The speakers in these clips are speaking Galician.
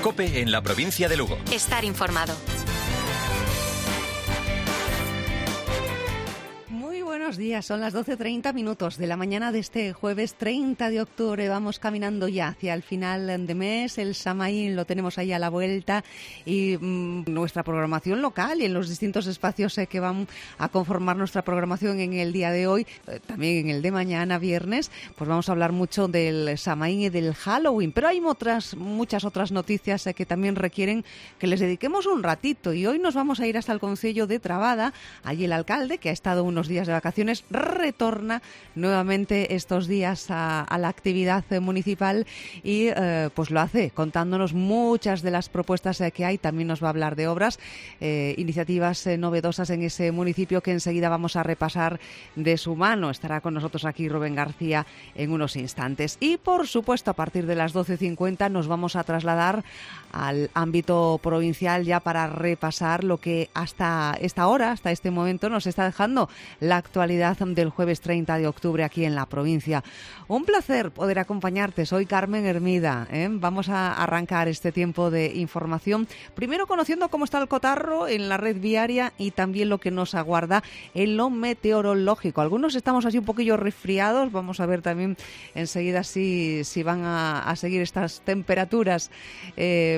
COPE en la provincia de Lugo. Estar informado. Buenos días, son las 12:30 de la mañana de este jueves 30 de octubre. Vamos caminando ya hacia el final de mes. El Samaín lo tenemos ahí a la vuelta y nuestra programación local y en los distintos espacios que van a conformar nuestra programación en el día de hoy, también en el de mañana, viernes, pues vamos a hablar mucho del Samaín y del Halloween. Pero hay muchas otras noticias que también requieren que les dediquemos un ratito. Y hoy nos vamos a ir hasta el concello de Trabada. Allí el alcalde, que ha estado unos días de vacaciones, retorna nuevamente estos días a la actividad municipal y pues lo hace contándonos muchas de las propuestas que hay. También nos va a hablar de obras, iniciativas novedosas en ese municipio que enseguida vamos a repasar de su mano. Estará con nosotros aquí Rubén García en unos instantes. Y por supuesto, a partir de las 12:50 nos vamos a trasladar al ámbito provincial ya para repasar lo que hasta esta hora, hasta este momento, nos está dejando la actualidad del jueves 30 de octubre aquí en la provincia. Un placer poder acompañarte. Soy Carmen Hermida. Vamos a arrancar este tiempo de información, primero conociendo cómo está el cotarro en la red viaria y también lo que nos aguarda en lo meteorológico. Algunos estamos así un poquillo resfriados. Vamos a ver también enseguida si van a seguir estas temperaturas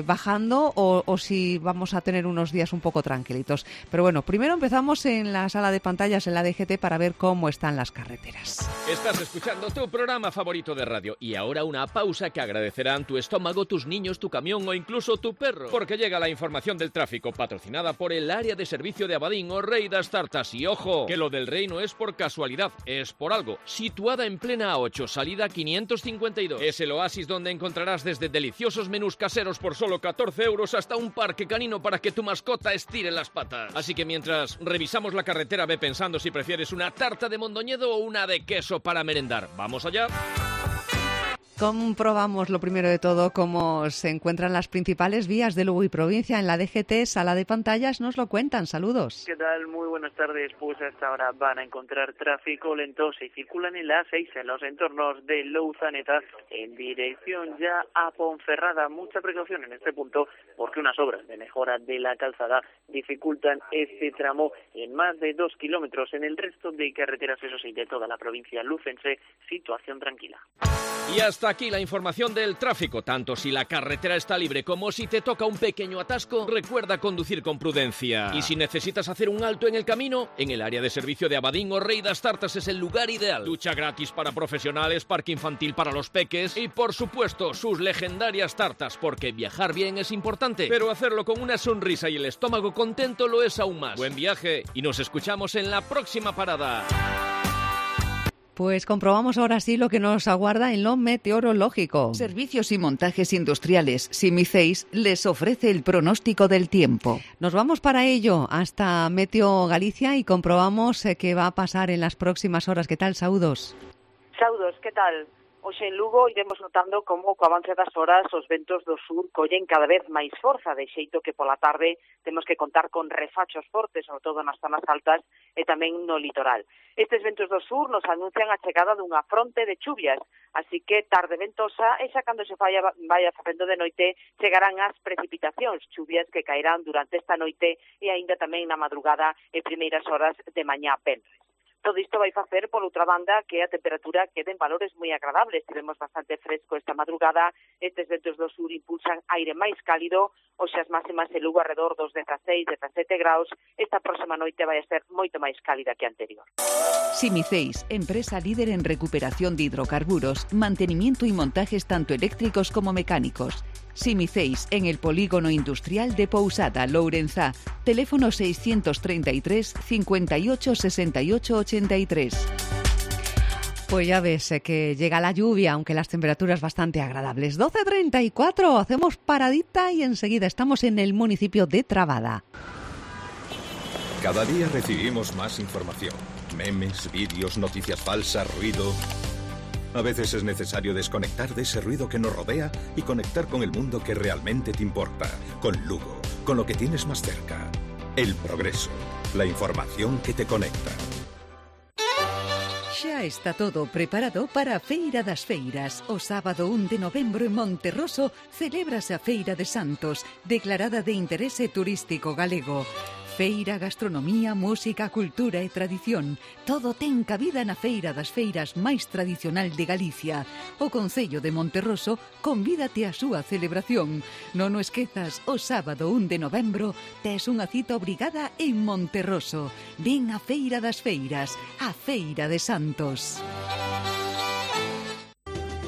bajando o si vamos a tener unos días un poco tranquilitos. Pero bueno, primero empezamos en la sala de pantallas en la DGT para ver cómo están las carreteras. Estás escuchando tu programa favorito de radio y ahora una pausa que agradecerán tu estómago, tus niños, tu camión o incluso tu perro, porque llega la información del tráfico patrocinada por el área de servicio de Abadín o Rey das Tartas. Y ojo, que lo del Rey no es por casualidad, es por algo. Situada en plena A8, salida 552. Es el oasis donde encontrarás desde deliciosos menús caseros por solo 14 euros hasta un parque canino para que tu mascota estire las patas. Así que mientras revisamos la carretera, ve pensando si prefieres una tarta de Mondoñedo o una de queso para merendar. ¿Vamos allá? Comprobamos lo primero de todo cómo se encuentran las principales vías de Lugo y provincia. En la DGT, sala de pantallas, nos lo cuentan. Saludos. ¿Qué tal? Muy buenas tardes. Pues hasta ahora van a encontrar tráfico lento. Se circulan en la A6 en los entornos de Louzaneta en dirección ya a Ponferrada. Mucha precaución en este punto porque unas obras de mejora de la calzada dificultan este tramo en más de 2 kilómetros. En el resto de carreteras, eso sí, de toda la provincia lucense, situación tranquila. Y hasta aquí la información del tráfico. Tanto si la carretera está libre como si te toca un pequeño atasco, recuerda conducir con prudencia. Y si necesitas hacer un alto en el camino, en el área de servicio de Abadín o Rey das Tartas es el lugar ideal. Ducha gratis para profesionales, parque infantil para los peques y, por supuesto, sus legendarias tartas, porque viajar bien es importante, pero hacerlo con una sonrisa y el estómago contento lo es aún más. Buen viaje y nos escuchamos en la próxima parada. Pues comprobamos ahora sí lo que nos aguarda en lo meteorológico. Servicios y montajes industriales Simiceis les ofrece el pronóstico del tiempo. Nos vamos para ello hasta Meteo Galicia y comprobamos qué va a pasar en las próximas horas. ¿Qué tal, Saudos? Saudos, ¿qué tal? Hoxe en Lugo iremos notando como co avance das horas os ventos do sur collen cada vez máis forza, de xeito que pola tarde temos que contar con refachos fortes, sobre todo nas zonas altas e tamén no litoral. Estes ventos do sur nos anuncian a chegada dunha fronte de chuvias, así que tarde ventosa e xa cando se vaya facendo de noite chegarán as precipitacións, chuvias que caerán durante esta noite e aínda tamén na madrugada e primeiras horas de mañá venres. Todo isto vai facer, por outra banda, que a temperatura quede en valores moi agradables. Tivemos bastante fresco esta madrugada, estes ventos do sur impulsan aire máis cálido, hoxe as máximas en Lugo alrededor dos 16, 17 graus. Esta próxima noite vai a ser moito máis cálida que a anterior. Simiceis, empresa líder en recuperación de hidrocarburos, mantenimiento y montajes tanto eléctricos como mecánicos. Simiceis, en el polígono industrial de Pousada, Lourenzá. Teléfono 633 58 68 83. Pues ya ves que llega la lluvia, aunque las temperaturas bastante agradables. 12:34, hacemos paradita y enseguida estamos en el municipio de Trabada. Cada día recibimos más información. Memes, vídeos, noticias falsas, ruido. A veces es necesario desconectar de ese ruido que nos rodea y conectar con el mundo que realmente te importa. Con Lugo, con lo que tienes más cerca. El progreso, la información que te conecta. Xa está todo preparado para a Feira das Feiras. O sábado 1 de novembro en Monterroso celébrase a Feira de Santos, declarada de interese turístico galego. Feira, gastronomía, música, cultura e tradición. Todo ten cabida na Feira das Feiras máis tradicional de Galicia. O Concello de Monterroso convídate á súa celebración. Non o esquezas, o sábado 1 de novembro tes unha cita obrigada en Monterroso. Ven á Feira das Feiras, a Feira de Santos.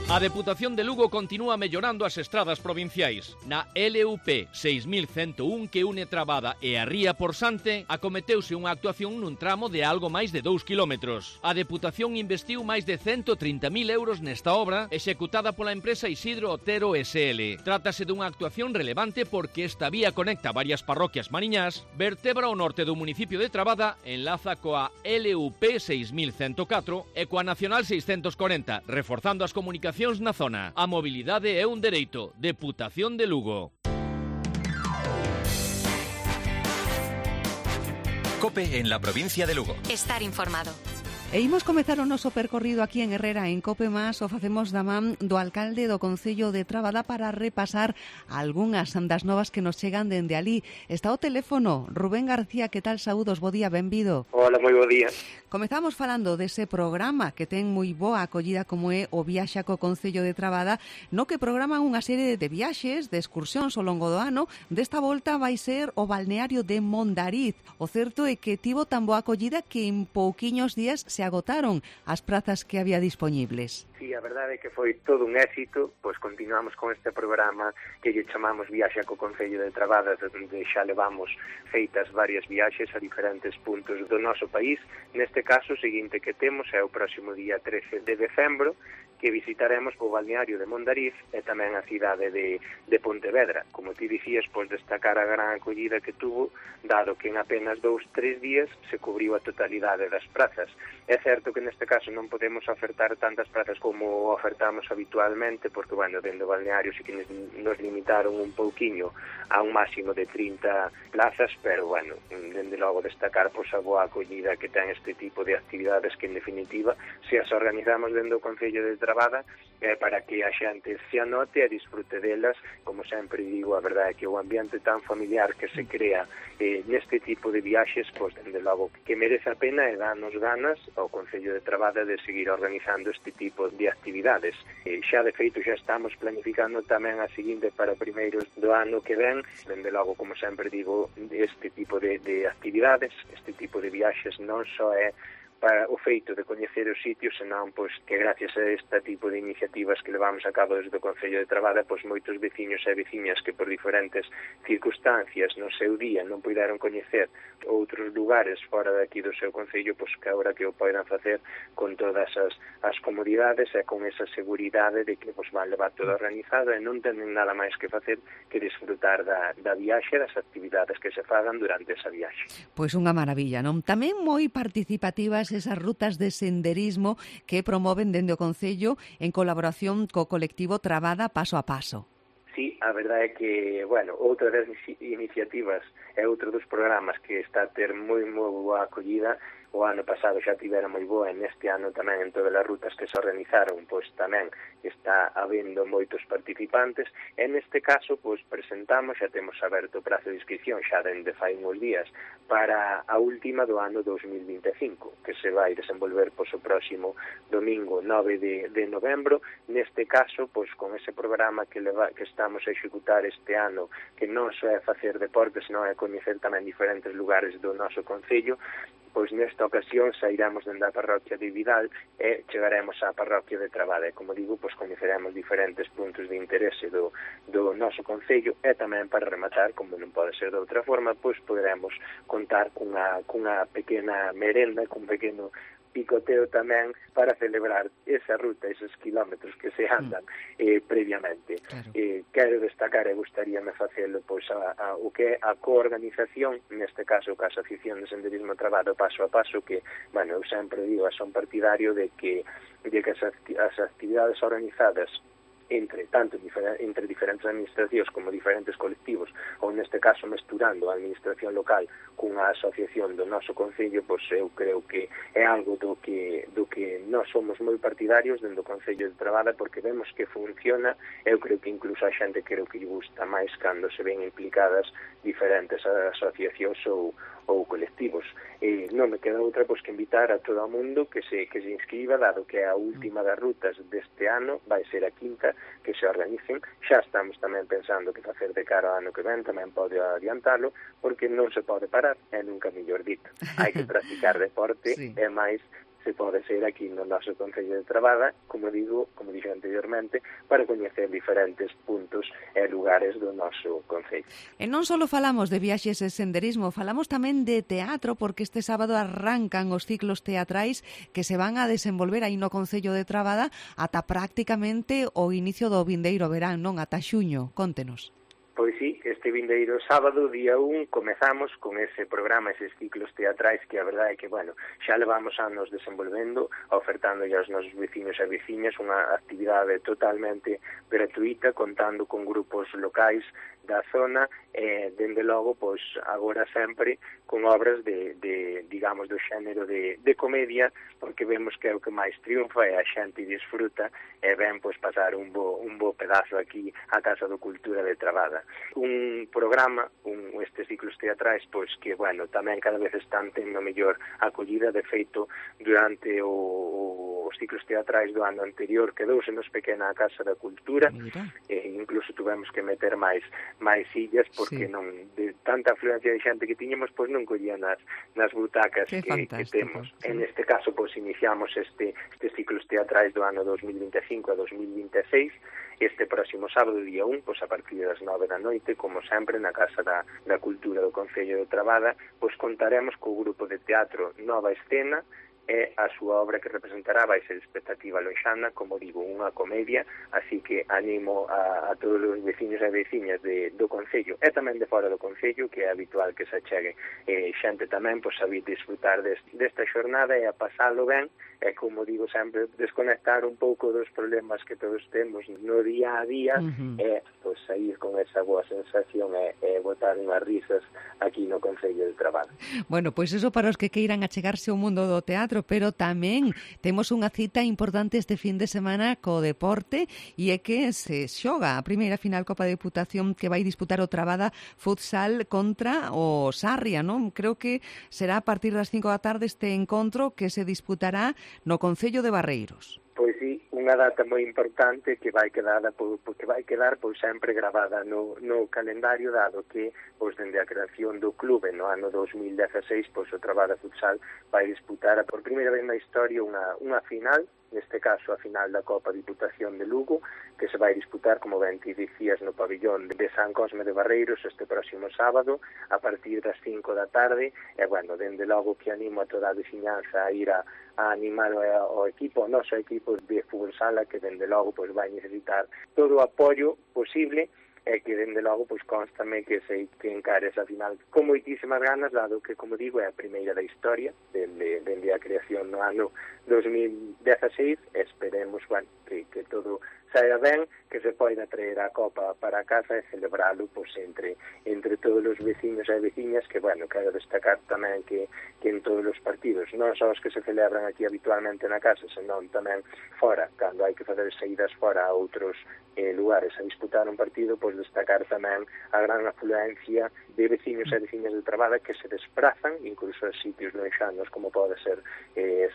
A Deputación de Lugo continúa mellorando as estradas provinciais. Na LUP 6101 que une Trabada e a Ría por Sante, acometeuse unha actuación nun tramo de algo máis de 2 kilómetros. A Deputación investiu máis de 130.000 euros nesta obra, executada pola empresa Isidro Otero SL. Trátase dunha actuación relevante porque esta vía conecta varias parroquias mariñás, vertebra o norte do municipio de Trabada, enlaza coa LUP 6104 e coa Nacional 640, reforzando as comunicacións na zona. A mobilidade é un dereito. Deputación de Lugo. COPE en la provincia de Lugo. Estar informado. E imos comezar o noso percorrido aquí en Herrera en Cope Más. O facemos da man do alcalde do Concello de Trabada para repasar algunhas das novas que nos chegan dende alí. Está o teléfono Rubén García, que tal? Saúdos, bo día, benvido. Hola, moi bo día. Comezamos falando dese programa que ten moi boa acollida como é o Viaxa co Concello de Trabada, no que programan unha serie de viaxes, de excursións ao longo do ano. Desta volta vai ser o balneario de Mondariz. O certo é que tivo tan boa acollida que en pouquiños días se agotaron as prazas que había dispoñibles. Sí, a verdade é que foi todo un éxito, pois continuamos con este programa que lle chamamos Viaxa co Concello de Trabada, onde xa levamos feitas varias viaxes a diferentes puntos do noso país. Neste caso, o seguinte que temos é o próximo día 13 de decembro, que visitaremos o balneario de Mondariz e tamén a cidade de Pontevedra. Como ti dicías, pois destacar a gran acollida que tuvo, dado que en apenas 2-3 días se cubriu a totalidade das prazas. É certo que neste caso non podemos ofertar tantas prazas como ofertamos habitualmente, porque, bueno, dentro do balneario sí que nos limitaron un pouquiño a un máximo de 30 plazas, pero, bueno, dende logo destacar pois a boa acollida que ten este tipo de actividades que, en definitiva, se as organizamos dentro do Concello de Trabada, para que a xente se anote e disfrute delas. Como sempre digo, a verdade é que o ambiente tan familiar que se crea neste tipo de viaxes, pois, dende logo, que merece a pena e danos ganas ao Concello de Trabada de seguir organizando este tipo de actividades. Xa, de feito, xa estamos planificando tamén a seguinte para primeiros do ano que ven. Dende logo, como sempre digo, este tipo de actividades, este tipo de viaxes non só é para o feito de coñecer os sitios, senón pois que gracias a este tipo de iniciativas que levamos a cabo desde o Concello de Trabada, pois moitos veciños e veciñas que por diferentes circunstancias no seu día non puideron coñecer outros lugares fora daqui do seu concello, pois que agora que o poidan facer con todas as comodidades e con esa seguridade de que pois van levar todo organizado e non tenen nada máis que facer que disfrutar da viaxe, das actividades que se fagan durante esa viaxe. Pois unha maravilla, non? Tamén moi participativas esas rutas de senderismo que promoven dende o Concello en colaboración co colectivo Trabada Paso a Paso. Sí, a verdade é que, bueno, outra das iniciativas é outro dos programas que está a ter moi boa acollida. O ano pasado xa tivera moi boa, e neste ano tamén en todas as rutas que se organizaron, pois tamén está habendo moitos participantes. E neste caso, pois presentamos, xa temos aberto o prazo de inscripción xa dende fai uns días para a última do ano 2025, que se vai desenvolver pois o próximo domingo 9 de novembro. Neste caso, pois con ese programa que estamos a executar este ano, que non só é facer deportes, senón é coñecer tamén diferentes lugares do noso concello, pois nesta ocasión sairemos dende a parroquia de Vidal e chegaremos á parroquia de Trabada. E, como digo, pois coñeceremos diferentes puntos de interese do noso concello e tamén, para rematar, como non pode ser de outra forma, pois poderemos contar cunha pequena merenda, cun pequeno picoteo tamén para celebrar esa ruta, esos kilómetros que se andan previamente. Claro. Quero destacar e gustaríame facelo pois o que é a coorganización, neste caso a Asociación de Senderismo Trabado Paso a Paso, que, bueno, eu sempre digo, son partidario de que as actividades organizadas entre diferentes administracións como diferentes colectivos, ou neste caso mesturando a administración local cunha asociación do noso concello, pois eu creo que é algo do que nós somos moi partidarios dentro do Concello de Trabada, porque vemos que funciona. Eu creo que incluso a xente creo que lle gusta máis cando se ven implicadas diferentes asociacións ou colectivos. E non me queda outra pois que invitar a todo o mundo que se inscriba, dado que a última das rutas deste ano vai ser a quinta que se organicen. Xa estamos tamén pensando que facer de cara ao ano que ven, tamén pode adiantalo, porque non se pode parar, é nunca mellor dito. Hai que practicar deporte, sí. E máis se pode ser aquí no noso Concello de Trabada, como dixo anteriormente, para coñecer diferentes puntos e lugares do noso Concello. E non só falamos de viaxes e senderismo, falamos tamén de teatro, porque este sábado arrancan os ciclos teatrais que se van a desenvolver aí no Concello de Trabada ata prácticamente o inicio do vindeiro verán, non? Ata xuño, contenos. Pois sí, este vindeiro sábado, día 1, comezamos con ese programa, eses ciclos teatrais que a verdade é que, bueno, xa levamos anos desenvolvendo, ofertando aos nosos veciños e veciñas unha actividade totalmente gratuita, contando con grupos locais da zona, e, dende logo, pois, agora sempre con obras digamos, do xénero de comedia, porque vemos que é o que máis triunfa e a xente disfruta e ven, pois, pasar un bo pedazo aquí á Casa do Cultura de Trabada. Un programa, estes ciclos teatrais, pois, que, bueno, tamén cada vez están tendo mellor acollida. De feito, durante os ciclos teatrais do ano anterior quedousenos pequena a Casa da Cultura, e incluso tuvemos que meter máis sillas, porque sí. Non, de tanta afluencia de xente que tiñamos, pois non collían nas butacas que temos. Sí. En este caso, pois iniciamos estes ciclos teatrais do ano 2025 a 2026, este próximo sábado, día 1, pois a partir das 9 da noite, como sempre, na Casa da Cultura do Concello de Trabada, pois contaremos co grupo de teatro Nova Escena, e a súa obra que representará vai ser Expectativa Loxana, como digo, unha comedia, así que animo a todos os veciños e veciñas do Concello e tamén de fora do Concello, que é habitual que se achegue xente tamén, pois a vir disfrutar desta xornada e a pasalo ben, e como digo sempre, desconectar un pouco dos problemas que todos temos no día a día, e pois sair con esa boa sensación e botar unhas risas aquí no Concello de Trabada. Bueno, pois iso para os que queiran achegarse ao mundo do teatro, pero tamén temos unha cita importante este fin de semana co deporte, e é que se xoga a primeira final Copa de Deputación que vai disputar o Trabada Futsal contra o Sarria, non? Creo que será a partir das 5 da tarde este encontro que se disputará no Concello de Barreiros. Pois sí, unha data moi importante que vai quedar pois sempre gravada no calendario, dado que pois dende a creación do clube no ano 2016, pois o Trabada Futsal vai disputar por primeira vez na historia unha final, neste caso a final da Copa Diputación de Lugo, que se vai disputar, como ben ti dicías, no pabillón de San Cosme de Barreiros este próximo sábado a partir das 5 da tarde. E, bueno, dende logo que animo a toda a veciñanza a ir a animar o equipo, o noso equipo de fútbol sala, que dende logo pois vai necesitar todo o apoio posible, e que dende logo pois constame que encare esa final con moitísimas ganas, dado que, como digo, é a primeira da historia dende a creación no ano 2016. Esperemos, bueno, que todo saia ben, que se poida traer a Copa para casa e celebralo pois entre todos os veciños e veciñas, que, bueno, quero destacar tamén que en todos os partidos, non só os que se celebran aquí habitualmente na casa, senón tamén fora, cando hai que fazer saídas fora a outros lugares a disputar un partido, pois destacar tamén a gran afluencia de veciños e veciñas de Trabada que se desprazan incluso a sitios lejanos como pode ser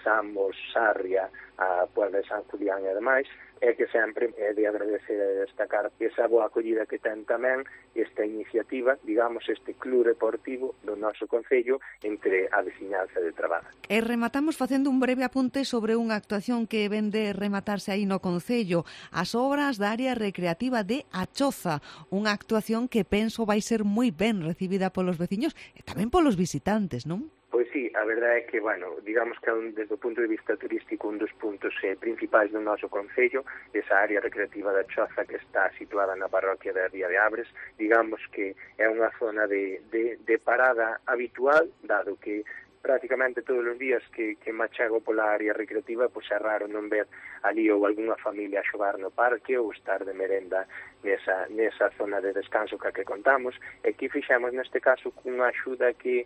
Samos, Sarria, a Puebla de San Julián e demais, e que sempre é de agradecer e destacar esa boa acollida que ten tamén esta iniciativa, digamos, este club deportivo do noso Concello entre a veciñanza de Trabada. E rematamos facendo un breve apunte sobre unha actuación que ven de rematarse aí no Concello, as obras da área recreativa de Achoza, unha actuación que penso vai ser moi ben recibida polos veciños e tamén polos visitantes, non? Pois sí, a verdade é que, bueno, digamos que desde o punto de vista turístico un dos puntos principais do noso Concello, esa área recreativa da Choza que está situada na parroquia da Ría de Abres, digamos que é unha zona de parada habitual, dado que prácticamente todos os días que me achego pola área recreativa, pois é raro non ver ali ou algunha familia a xogar no parque ou estar de merenda nesa zona de descanso que contamos, e que fixemos neste caso cunha axuda que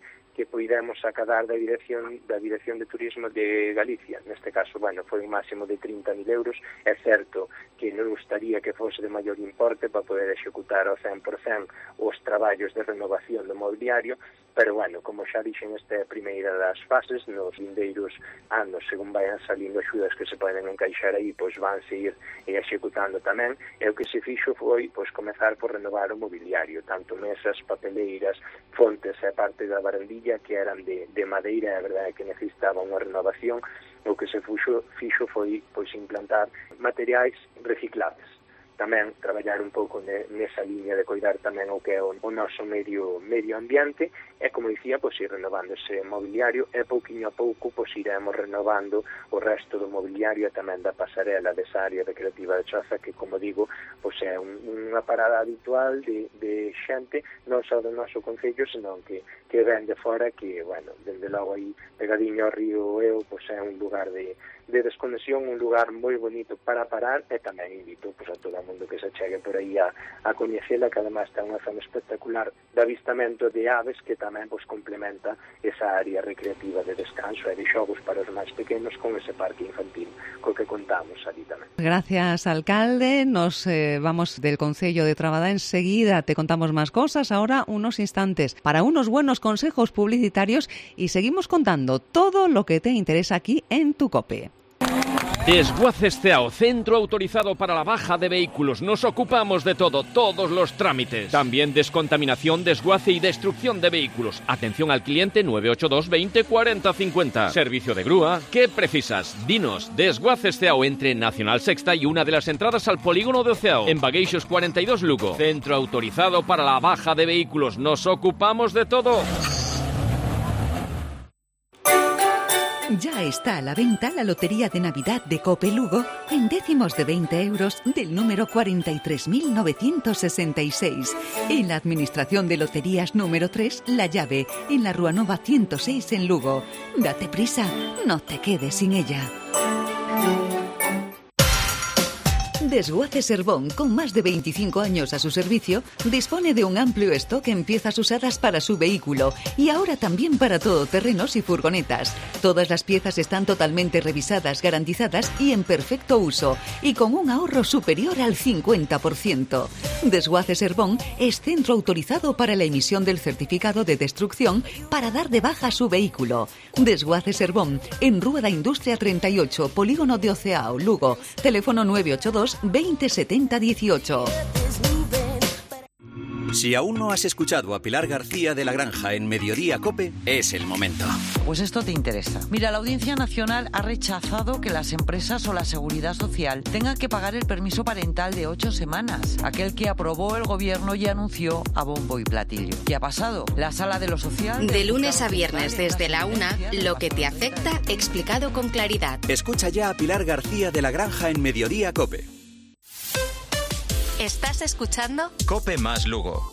poidemos acadar da Dirección de Turismo de Galicia. Neste caso, foi un máximo de 30.000 euros. É certo que non gustaría que fose de maior importe para poder executar ao 100% os traballos de renovación do mobiliario, pero, como xa dixen, esta é a primeira das fases. Nos vindeiros anos, según vayan salindo axudas que se poden encaixar aí, pois vanse ir executando tamén. E o que se fixo foi comezar por renovar o mobiliario, tanto mesas, papeleiras, fontes e parte da barandilla que eran de madeira, a verdade é que necesitaban unha renovación. O que se fixo foi implantar materiais reciclables. Tamén traballar un pouco nesa liña de coidar tamén o que é o noso medio ambiente, e, como dicía, ir renovando ese mobiliario, e pouquiño a pouco iremos renovando o resto do mobiliario e tamén da pasarela desa área recreativa de Choza, que, como digo, é unha parada habitual de xente, non só do noso concello, senón que ven de fora, que, dende logo aí pegadiño ao río Eo, é un lugar de desconexión, un lugar moi bonito para parar, e tamén invito a todo o mundo que se chegue por aí a coñecela, que además ten unha zona espectacular de avistamento de aves que tamén complementa esa área recreativa de descanso e de xogos para os máis pequenos con ese parque infantil co que contamos ali tamén. Gracias, alcalde. Nos vamos del Concello de Trabada enseguida. Te contamos más cosas. Ahora unos instantes para unos buenos consejos publicitarios y seguimos contando todo lo que te interesa aquí en tu COPE. Desguaces CEAO, centro autorizado para la baja de vehículos. Nos ocupamos de todo, todos los trámites. También descontaminación, desguace y destrucción de vehículos. Atención al cliente 982 20 40 50. Servicio de grúa. ¿Qué precisas? Dinos. Desguaces CEAO entre Nacional Sexta y una de las entradas al polígono de CEAO. En Bagueixos 42 Lugo. Centro autorizado para la baja de vehículos. Nos ocupamos de todo. Ya está a la venta la Lotería de Navidad de Cope Lugo en décimos de 20 euros del número 43.966. En la Administración de Loterías número 3, La Llave, en la Rúa Nova 106 en Lugo. Date prisa, no te quedes sin ella. Desguaces Herbón, con más de 25 años a su servicio, dispone de un amplio stock en piezas usadas para su vehículo y ahora también para todoterrenos y furgonetas. Todas las piezas están totalmente revisadas, garantizadas y en perfecto uso, y con un ahorro superior al 50%. Desguaces Herbón es centro autorizado para la emisión del certificado de destrucción para dar de baja su vehículo. Desguaces Herbón, en Rúa da Industria 38, Polígono de Oceao, Lugo. Teléfono 982 20 70 18. Si aún no has escuchado a Pilar García de la Granja en Mediodía COPE, es el momento. Pues esto te interesa. Mira, la Audiencia Nacional ha rechazado que las empresas o la Seguridad Social tengan que pagar el permiso parental de 8 semanas, aquel que aprobó el Gobierno y anunció a bombo y platillo. ¿Qué ha pasado? La Sala de lo Social... De lunes a viernes desde la 1, lo que te afecta explicado con claridad. Escucha ya a Pilar García de la Granja en Mediodía COPE. ¿Estás escuchando? COPE más Lugo.